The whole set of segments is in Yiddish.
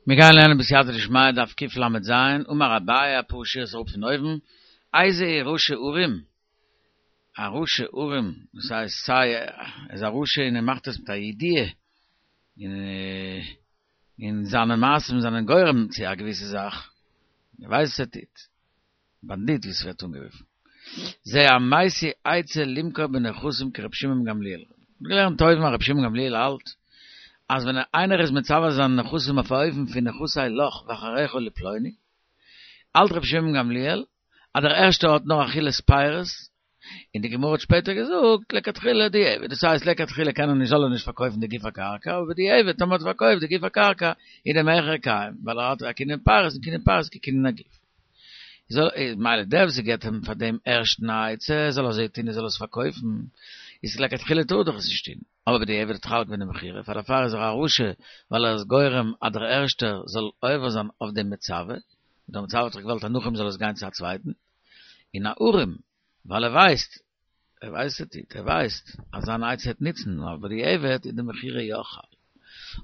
מיר גייען לערנען בסייעתא דשמיא דף קל"ז, אמר אביי אפאר שורות אראפ פון אויבן, איזהו רשע ערום, א רשע ערום, דאס הייסט סיי ער איז א רשע און ער מאכט עס מיט א ידיעה, און זיינע מעשים זענען גורם צו א געוויסע זאך, ער ווייסט וואס ער טוט, באנדיט ווי ס'ווערט אנגערופן. זה המשיא עצה למכור בנכסים כר' שמעון גמליאל. מ'האט געלערנט אויבן אז ר' שמעון גמליאל האלט אז ווען איינער איז מצווה זיינע נכסים אויף א אופן פון נכסי לך ואחריך לפלוני, האלט ר' שמעון גמליאל אז דער ערשטער האט נאר אכילת פירות, און די גמרא האט שפעטער געזאגט לכתחילה דיעבד, דאס הייסט לכתחילה קען ער נישט זאל ער נישט פארקויפן די גוף הקרקע, אבער בדיעבד טאמער האט ער פארקויפט די גוף הקרקע איז די מכר קיים, ווייל ער האט א קנין פירות און קנין פירות כקנין הגוף. זאל מילא דער וואס געבט אים פאר דעם ערשטן א עצה זאל אזוי טון ער זאל עס פארקויפן, איז לכתחילה טאר ער דאך עס נישט טון, אבער בדיעבד האט חל געווען די מכירה, פאר דערפאר איז ער א רשע ווייל ער איז גורם אז דער ערשטער זאל עובר זיין אויף דעם מצווה, דער מצווה האט דאך געוואלט אז נאך אים זאל עס גיין צו א צווייטן. און א ערום, ווייל ער ווייסט, ער ווייסט ער טוט, ער ווייסט אז זיין עצה וועט נוצן, אבער בדיעבד איז די מכירה יא חל.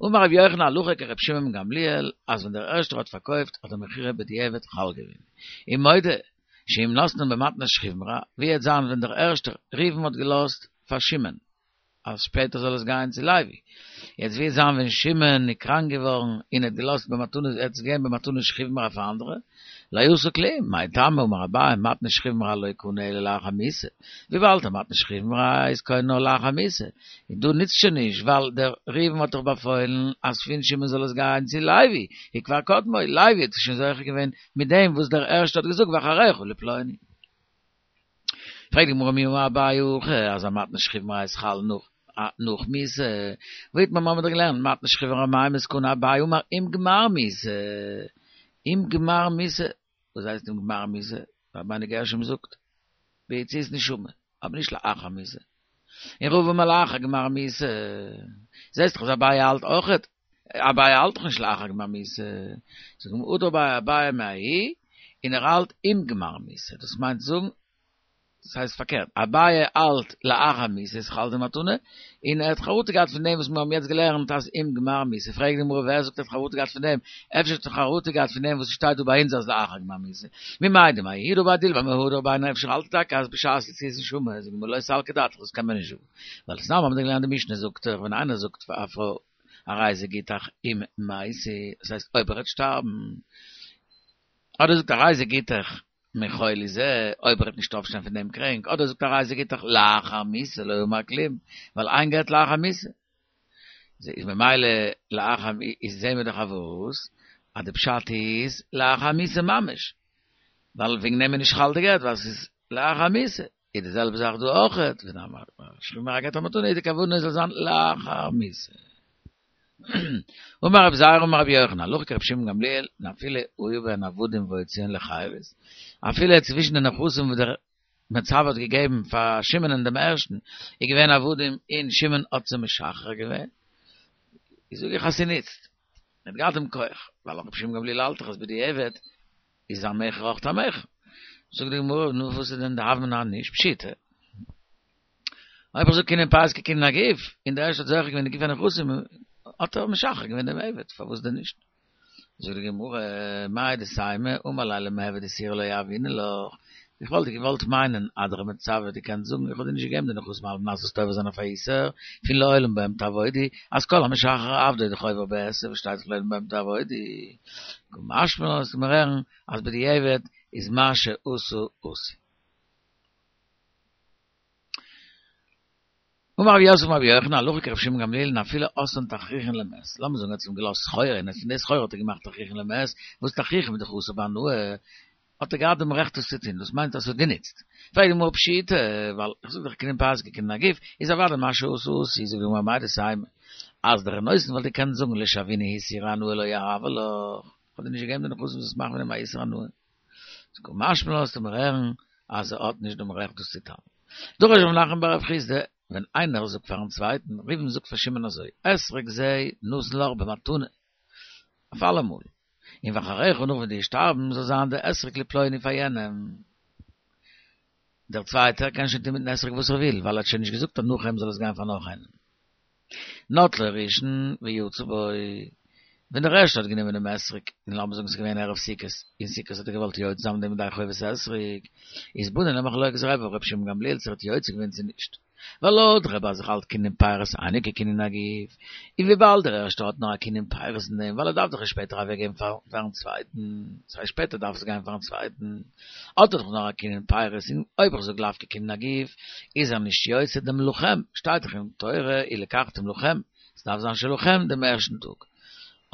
אמר רבי יוחנן הלכה כרבי שמעון גמליאל, אז ווען דער ערשטער האט פארקויפט האט די מכירה בדיעבד חל געווען. ומודה שאם נתנן במתנת שכיב מרע, ווי וועט זיין ווען דער ערשטער, ראובן האט געלאזט פאר שמעון, אז שפעטער זאל עס גיין צו לוי. יעצט ווי וועט זיין ווען שמעון איז קראנק געווארן און האט געלאזט במתנות ער האט עס געגעבן במתנת שכיב מרע פאר אנדערע, לא עשה כלום, מאי טעמא אמר אביי מתנת שכיב מרע לא קנה אלא לאחר מיתה, וויבאלד א מתנת שכיב מרע איז קונה נאר לאחר מיתה, און דא נוצט שוין נישט ווייל דער ראובן האט דאך באפוילן אז פון שמעון זאל עס גיין צו לוי, איז כבר קדמו, לוי האט שוין זוכה געווען מיט דעם וואס דער ערשטער האט געזאגט ואחריך לפלוני. פרעגט די גמרא מי אמר אביי הכי אז א מתנת שכיב מרע איז חל נאך נאך מיתה, והאיתמר מיר האבן דאך געלערנט מתנת שכיב מרע מאי מסקנא אביי אמר עם גמר מיתה, עם גמר מיתה, וואס הייסט עם גמר מיתה? רבינו גרשום זאגט ביציאת נשמה, אבער נישט לאחר מיתה, און רבא אמר לאחר גמר מיתה, זעסט דאך אז אביי האלט אויכעט, אביי האלט דאך נישט לאחר גמר מיתה, זאגט די גמרא הדר ביה אביי מההיא, און ער האלט עם גמר מיתה, דאס מיינט זאגן, דאס הייסט פארקערט, אביי האלט לאחר מיתה איז חל די מתנה, און ער האט חרטה געהאט פון דעם וואס מיר האבן יעצט געלערנט אז עם גמר מיתה, פרעגט די גמרא ווער זאגט ער האט חרטה געהאט פון דעם, אפשר האט ער חרטה געהאט פון דעם וואס ס'שטייט דא ביי אונז אז לאחר גמר מיתה, ממאי דמההיא הדר ביה דילמא מהדר ביה נו אפשר האלט ער טאקע אז בשעת יציאת נשמה, זאגט די גמרא לא סלקא דעתך דאס קען מען נישט זאגן, ווייל תנן האבן מיר געלערנט די משנה זאגט דאך ווען איינער זאגט פאר א פרוי הרי זה גיטך אם מתי, דאס הייסט אויב ער וועט שטארבן, אדער זאגט הרי זה גיטך מחולי זה, אויב ער וועט נישט אויפשטיין פון דעם קרענק, אדער זאגט הרי זה גיטך לאחר מיתה לא אמר כלום, ווייל אין גט לאחר מיתה. איז ממילא לאחר איז זעהן מיר דאך אז וואס? אז די פשט איז לאחר מיתה ממש, ווייל וועגן דעם איז נישט חל די גט ווייל ס'איז לאחר מיתה. איז די זעלבע זאך דא אויכעט, ווען א שכיב מרע געבט א מתנה איז די כוונה עס זאל זיין לאחר מיתה. אמר רבי זירא אמר רבי יוחנן, הלכה כרבי שמעון גמליאל, און אפילו היו בהן עבדים והוציאן לחירות, אפילו צווישן די נכסים וואס דער מצוה האט געגעבן פאר שמעונ'ען דעם ערשטן, איז געווען עבדים און שמעון האט זיי משחרר געווען, איז זאג איך אז ס'נוצט, ער האט געהאט דעם כח, ווייל רבי שמעון גמליאל האלט דאך אז בדיעבד איז א מכר אויך א מכר. זאגט די גמרא, נו וואס איז דען די הוה אמינא נישט פשיטא? אויב איך זאג קנין פירות כקנין הגוף, און דער ערשטער האט זוכה געווען די גוף הנכסים, האט ער משחרר געווען דעם עבד, פארוואס דען נישט? זאגט די גמרא, מהו דתימא, אמר ליה למעבד איסורא לא יהבינן לך, איך וואלט געוואלט מיינען אז דער מצוה האט געקענט זאגן איך האב דיר נישט געגעבן די נכסים על מנת זאלסט עובר זיין אויף א איסור פון לעולם בהם תעבודו, אז כל המשחרר עבדו איז דאך עובר בעשה וואס שטייט דאך לעולם בהם תעבודו. קא משמע לן לאזט מיר הערן אז בדיעבד איז מה שעשה עשוי. אמר רב יוסף אמר רבי יוחנן הלכה כרבי שמעון גמליאל און אפילו עשאן תכריכין למת, לאמיר זאגן ער האט אים געלאזט סחורה און פון די סחורה האט ער געמאכט תכריכין למת, וואס תכריכים איז דאך אסור בהנאה, האט ער געהאט דעם רעכט עס צו טון, דאס מיינט אז ס'האט גענוצט. פרעגט די גמרא פשיטא, ווייל איך זאג דאך קנין פירות כקנין הגוף, איז אוודאי מה שעשה עשוי, זאגט די גמרא מהו דתימא, אז דער נותן וואלט געקענט זאגן לשוינהו איסורי הנאה לא יהבי לך, איך האב דיר נישט געגעבן די נכסים זאלסט מאכן פון דעם א איסור הנאה. קא משמע לן לאזט מיר הערן אז ער האט נישט דעם רעכט דאס צו טון. דרש רב נחמן בר רב חסדא, ווען איינער זאגט פארן צווייטן, ראובן זאגט פאר שמעון אזוי, אתרוג זה נתון לך במתנה, אויף אלעמאל, און ואחריך נאך ווען דו וועסט שטארבן זאל זיין די אתרוג לפלוני פאר יענעם. דער צווייטער קען שוין טון מיטן אתרוג וואס ער וויל, ווייל ער האט שוין נישט געזאגט אז נאך אים זאל עס גיין פאר נאך איינעם. נטלו ראשון ויצא בו. ווען דער ערשטער האט גענומען דעם אתרוג, און לאמיר זאגן ס'איז געווען ערב סוכות, און סוכות האט ער געוואלט יוצא זיין מיט דעם ידי חובת אתרוג, איז באנו למחלוקת רבי ורבי שמעון גמליאל צו ער האט יוצא געווען צו נישט. ווייל לויט רבי אז איך האלט קנין פירות אינו כקנין הגוף, און וויבאלד דער ערשטער האט נאר א קנין פירות אין דעם ווייל ער דארף דאך עס שפעטער אוועקגעבן פארן צווייטן, ס'הייסט שפעטער דארף עס גיין פארן צווייטן, האט ער דאך נאר א קנין פירות און אויב איך זאג לאו כקנין הגוף איז ער נישט יוצא דעם לכם, שטייט דאך אין תורה ולקחתם לכם, ס'דארף זיין שלכם דעם ערשטן טאג.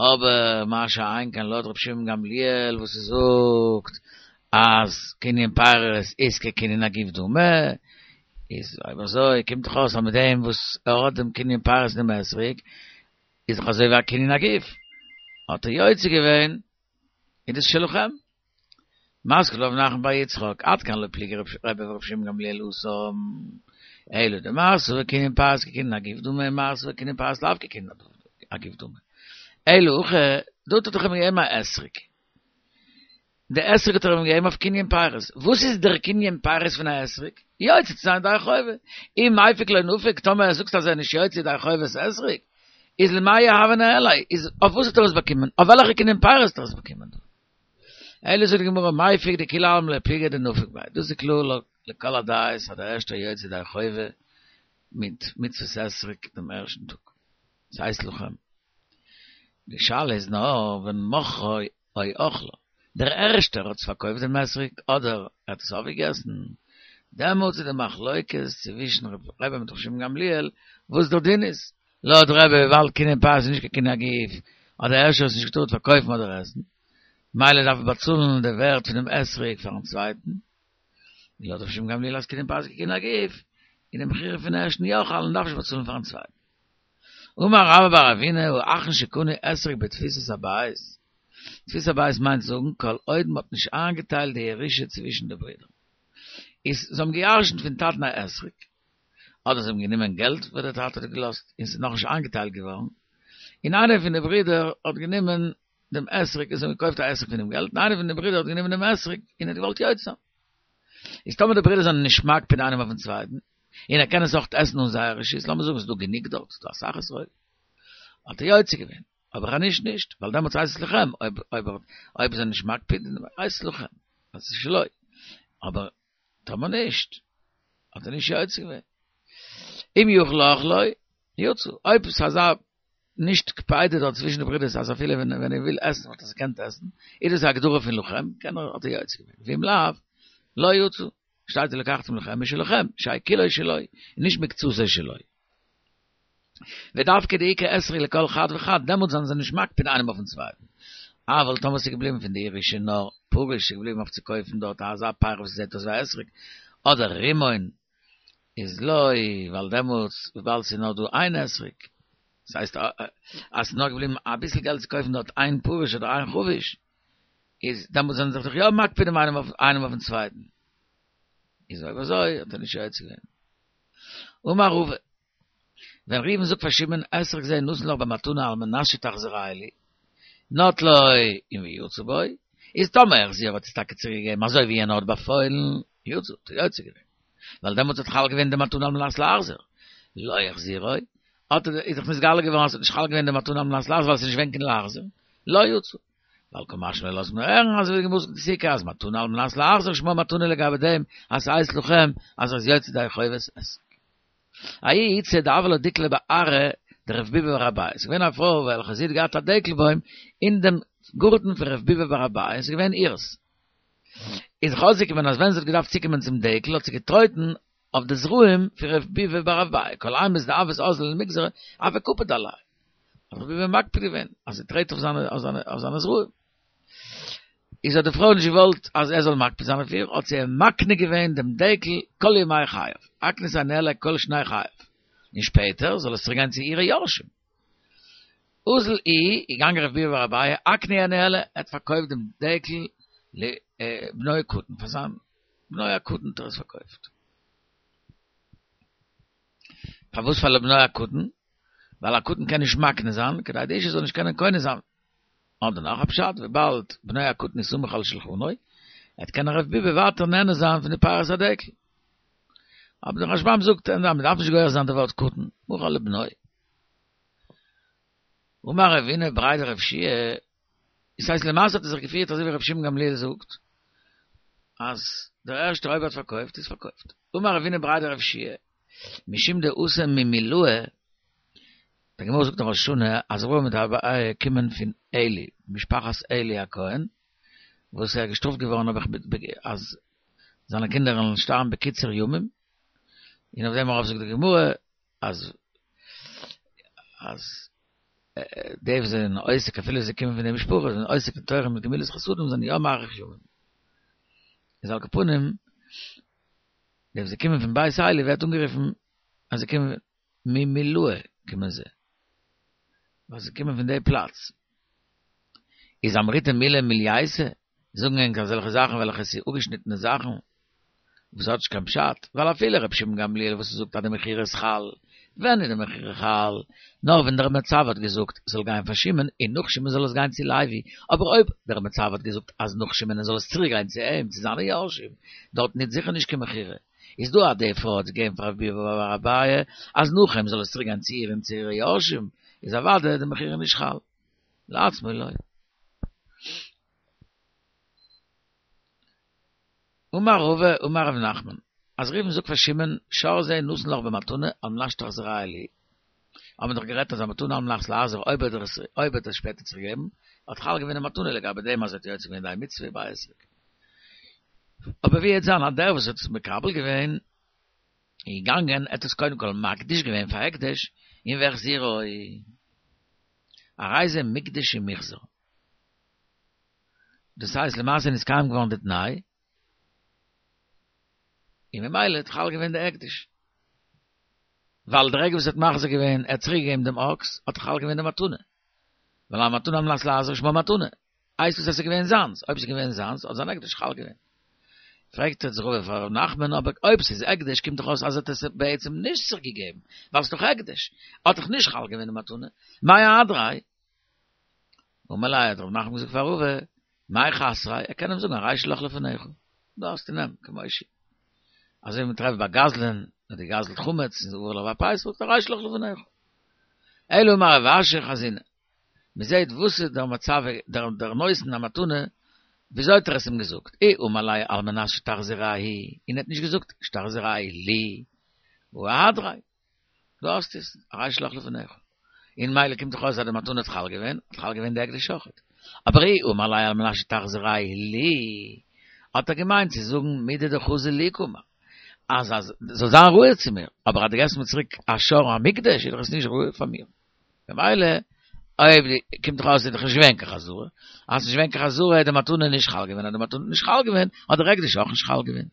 אבער מה שאין כן לויט רבי שמעון גמליאל וואס ער זאגט אז קנין פירות איז כקנין הגוף דמי, איז אויב אזוי קומט דאך אויס אז מיט דעם וואס ער האט דעם קנין פירות אין דעם אתרוג איז דאך אזוי ווי א קנין הגוף, האט ער יוצא געווען איז דאס שלכם. מתקיף לה רב נחמן בר יצחק, עד כאן לא פליגי רבי ורבי שמעון גמליאל התם, אלא דמר סבר קנין פירות כקנין הגוף דמי מר סבר קנין פירות לאו כקנין הגוף דמי. אלא הכא, דארט האט ער אים געגעבן א אתרוג. די אתרוג האט ער אים געגעבן אויף קנין פירות. וואס איז דער קנין פירות פון א אתרוג? יוצא צו זיין ידי חובה. אי מיפק לא נפיק, טאמער זאגסט אז ער איז נישט יוצא ידי חובת אתרוג, איז למאי הוה ניהליה, איז אויף וואס האט ער עס באקומען? אויף וועלכע קנין פירות האט ער עס באקומען דא? אלא זאגט די גמרא מיפק דכולי עלמא לא פליגי דנפיק ביה, דאס איז קלאר לכל הדעות אז דער ערשטער יוצא ידי חובה מיט מצוות אתרוג דעם ערשטן טאג, ס'הייסט לכם. די שאלה איז נאר ווען מכרו או אכלו, דער ערשטער האט עס פארקויפט דעם אתרוג אדער ער האט עס אויפגעגעסן, דעמאלטס איז די מחלוקת צווישן רבי מיט ר' שמעון גמליאל וואס דער דין איז, לויט רבי וויבאלד קנין פירות איז נישט קיין קנין הגוף, האט דער ערשטער עס נישט געטארט פארקויפן אדער עסן, מילא דארף ער באצאלן די ווערט פונעם אתרוג פארן צווייטן, און לויט ר' שמעון גמליאל אז קנין פירות כקנין הגוף, איז די מכירה פון ערשטן יא חל און דארף נישט באצאלן פארן צווייטן. אמר רבה בר אבינא האחרון שקנה אתרוג בתפיסת הבית, תפיסת הבית מיינט זאגן כל עוד מ'האט נישט איינגעטיילט די ירושה צווישן די ברידער. איז זיי האבן געירשנט פון טאטן א אתרוג, אדער זיי האבן גענומען געלט וואס דער טאטע האט געלאזט און ס'איז נאכנישט איינגעטיילט געווארן, און איינער פון די ברידער האט גענומען דעם אתרוג און זיי האבן געקויפט א אתרוג פון דעם געלט, און איינער פון די ברידער האט גענומען דעם אתרוג און האט געוואלט יוצא זיין. איז טאמער די ברידער זענען נישט מקפיד איינעם אויפן צווייטן, און ער קען עס אויך עסן אן זייער רשות, לאמיר זאגן ס'איז דא גענוג דארט, ס'איז דא אסאך אתרוג, האט ער יוצא געווען, אבער אז נישט נישט, ווייל דעמאלטס הייסט עס לכם, אויב אויב אויב זיי זענען נישט מקפיד הייסט עס לכם, אז עס איז שלו, אבער טאמער נישט, האט ער נישט יוצא געווען. אם יכול לאכלו, יצא, אויב ס'איז אזא נישט קפידה דארט צווישן די ברידערס אז אפילו ווען ווען ער וויל עסן וואלט ער עס געקענט עסן, איז דאס א הגדרה פון לכם, קען ער האט ער יוצא געווען, ואם לאו, לא יצא, שטייט ולקחתם לכם משלכם, שיהא כולו שלו, און נישט מקצתו שלו. ודווקא דאיכא אתרוג לכל חד וחד, דעמאלטס זענען זיי נישט מקפיד איינעם אויפן צווייטן. אבל טאמער ס'איז געבליבן פון די ירושה נאר פרוש ס'איז געבליבן אויף צו קויפן דארט אזא פרי וואס זעט אויס ווי א אתרוג, אדער רימון, איז לא, ווייל דעמאלטס וויבאלד ס'איז נאר דא איין אתרוג, דאס הייסט אז ס'איז נאר געבליבן אביסל געלט צו קויפן דארט איין פרוש אדער איין חבוש, איז דעמאלטס זענען זיי דאך יא מקפיד איינעם אויפן צווייטן. איז אויב אזוי האט ער נישט יוצא געווען. אמר רבא, ווען ראובן זאגט פאר שמעון אתרוג זה נתון לך במתנה על מנת שתחזירהו לי, נטלו און ויצא בו, איז טאמער החזירו האט עס טאקע צוריק געגעבן אזוי ווי יענער האט באפוילן, יצא, האט ער יוצא געווען. ווייל דעמאלטס האט חל געווען די מתנה על מנת להחזיר. לא החזירו, האט ער, איז דאך נתגלה געווארן אז ס'האט נישט חל געווען די מתנה על מנת להחזיר ווייל ס'איז נישט געווען קיין להחזיר, לא יצא. ווייל קא משמע לן לאזט מיר הערן אזוי ווי די גמרא זאגט אין סוכה אז מתנה על מנת להחזיר שמה מתנה לגבי דעם אז ס'הייסט לכם אז ער איז יוצא ידי חובת אתרוג. ההיא איתתא דהוה לה דיקלא בארעא דרב ביבי בר אביי, ס'איז געווען א פרוי וועלכע זי האט געהאט א דעקל בוים אין דעם גארטן פון רב ביבי בר אביי, ס'איז געווען אירס. איז זיך אויסגעקומען אז ווען זי האט געדארפט צוקומען צום דעקל האט זי געטרויטן אויף די זרעים פון רב ביבי בר אביי, כל אימת דהות אזלא למיגזרא הוה קפיד עליה. האט רב ביבי מקפיד געווען אז זי טרעט אויף זיינע אויף זיינע זרעים. איז האט די פרוי נישט געוואלט אז ער זאל מקפיד זיין אויף איר, האט זי אים מקנה געווען דעם דעקל כל ימי חייו, אקניתיה ניהליה כל שני חייו, און שפעטער זאל עס צוריק גיין צו אירע יורשים. אזל איהו, איז געגאנגען רב ביבי בר אביי, אקנייה ניהליה, ער האט פארקויפט דעם דעקל לבנו הקטן, פאר זיין בנו הקטן האט ער עס פארקויפט. פארוואס פאר לבנו הקטן? ווייל א קטן קען נישט מקנה זיין, כדי די אשה זאל נישט קענען קונה זיין. אדער נאך א פשט, וויבאלד בנו הקטן איז סמוך על שלחנו, וועט קענען רב ביבי ווייטער נהנה זיין פון די פירות הדקל. אבער דער רשב"ם זאגט אז מען דארף נישט גורס זיין די ווארט קטן, מכר לבנו. אמר רבינא בריה דרב יהושע, דאס הייסט למעשה האט ער זיך געפירט אזוי ווי רבי שמעון גמליאל זאגט, אז דער ערשטער אויב ער האט פארקויפט איז פארקויפט. אמר רבינא בריה דרב יהושע, משום דאתא ממילאי, די גמרא זאגט אין ראש השנה אז רבא מיט אביי קומען פון עלי, משפחת עלי הכהן, וואס ער איז געשטראפט געווארן נעבעך אז זיינע קינדער וועלן שטארבן בקיצור ימים, און אויף דעם ארויף זאגט די גמרא אז אז די וואס זענען עוסק אפילו זיי קומען פון די משפחה זענען עוסק אין תורה מיט גמילות חסדים זענען יא מאריך ימים. איז על כל פנים די וואס זיי קומען פון בית עלי ווערט אנגערופן אז זיי קומען ממילאי קומען זיי ווייל זיי קומען פון די פלאץ. איז אמריתו מילי מילייתא זאגן ענק אזעלכע זאכן וועלכע ס'איז אפגעשניטענע זאכן וואס האט נישט קיין פשט, ווייל אפילו רבי שמעון גמליאל וואס זאגט אז די מכירה איז חל, ווען איז די מכירה חל? נאר ווען דער מצוה האט געזאגט זאל גיין פאר שמעון און נאך שמעון זאל עס גיין צו לוי, אבער אויב דער מצוה האט געזאגט אז נאך שמעון זאל עס צוריק גיין צו אים צו זיינע יורשים, דארטן איז זיכער נישט קיין מכירה. איז דא אז די פרוי האט געגעבן פאר רב ביבי בר אביי אז נאך אים זאל עס צוריק גיין צו איר און צו אירע יורשים, איז אוודאי די מכירה נישט חל. לעצמו לא. אמר רבא אמר רב נחמן, אז ראובן זאגט פאר שמעון, שור זה נתון לך במתנה על מנת שתחזירהו לי, האבן מיר דאך גערעדט אז א מתנה על מנת להחזיר אויב ער האט אויב ער האט עס שפעטער צוריק געגעבן, האט חל געווען די מתנה לגבי דעם אז ער האט יוצא געווען די מצוה ביי אתרוג. אבער ווי העט זיין אז דער וואס האט עס מקבל געווען איז געגאנגען ער האט עס קודם כל מקדיש געווען פאר הקדש און והחזירו הרי זה מוקדש ומוחזר. דאס הייסט למעשה איז נתקיים געווארן די תנאי, און ממילא האט חל געווען די הקדש. ווייל די רגע וואס ער האט מחזיר געווען, ער האט צוריק געגעבן דעם אקס, האט חל געווען די מתנה. ווייל א מתנה על מנת להחזיר שמה מתנה. הייסט עס אז ס'איז געווען זיינס, אויב ס'איז געווען זיינס האט זיין הקדש חל געווען. פרעגט יעצט רבא פאר ר' נחמן, אבער אויב ס'איז הקדש קומט דאך אויס אז ער האט עס בעצם נישט צוריק געגעבן, ווייל ס'איז דאך הקדש, האט דאך נישט חל געווען די מתנה, מאי אהדריה? אמר ליה האט ר' נחמן געזאגט פאר רבא, מאי חסריה, ער קען אים זאגן הרי שלך לפניך, דא האסטו נעם, כמו שהיא. אזוי ווי מ'טרעפט ביי גזלן, האט געגזלט חמץ, און עבר עליו הפסח, זאגט הרי שלך לפניך. אלא אמר רב אשי חזינא, מ'זעהט וואס איז דער מצב דער דער נותן המתנה, וויאזוי האט ער עס אים געזאגט, אי אמר ליה על מנת שתחזירהו, און ער האט נישט געזאגט שתחזירהו לי, הא אהדריה. דא האסטו עס, הרי שלך לפניך. און ממילא קומט דאך אויס אז די מתנה האט חל געווען, האט חל געווען די הקדש אויכעט. אבער אי אמר ליה על מנת שתחזירהו לי, האט ער געמיינט צו זאגן מידי דחזי לי קאמר, אז אז זאל זיין ראוי צו מיר, אבער אז דו געבסט מיר צוריק א שור המוקדש איז דאך עס נישט ראוי פאר מיר. ממילא, אויב די, קומט דאך אויס איז דאך נישט געווען קיין חזרה, אז ס'נישט געווען קיין חזרה איז די מתנה נישט חל געווען, אז די מתנה האט נישט חל געווען, האט דער הקדש אויך נישט חל געווען.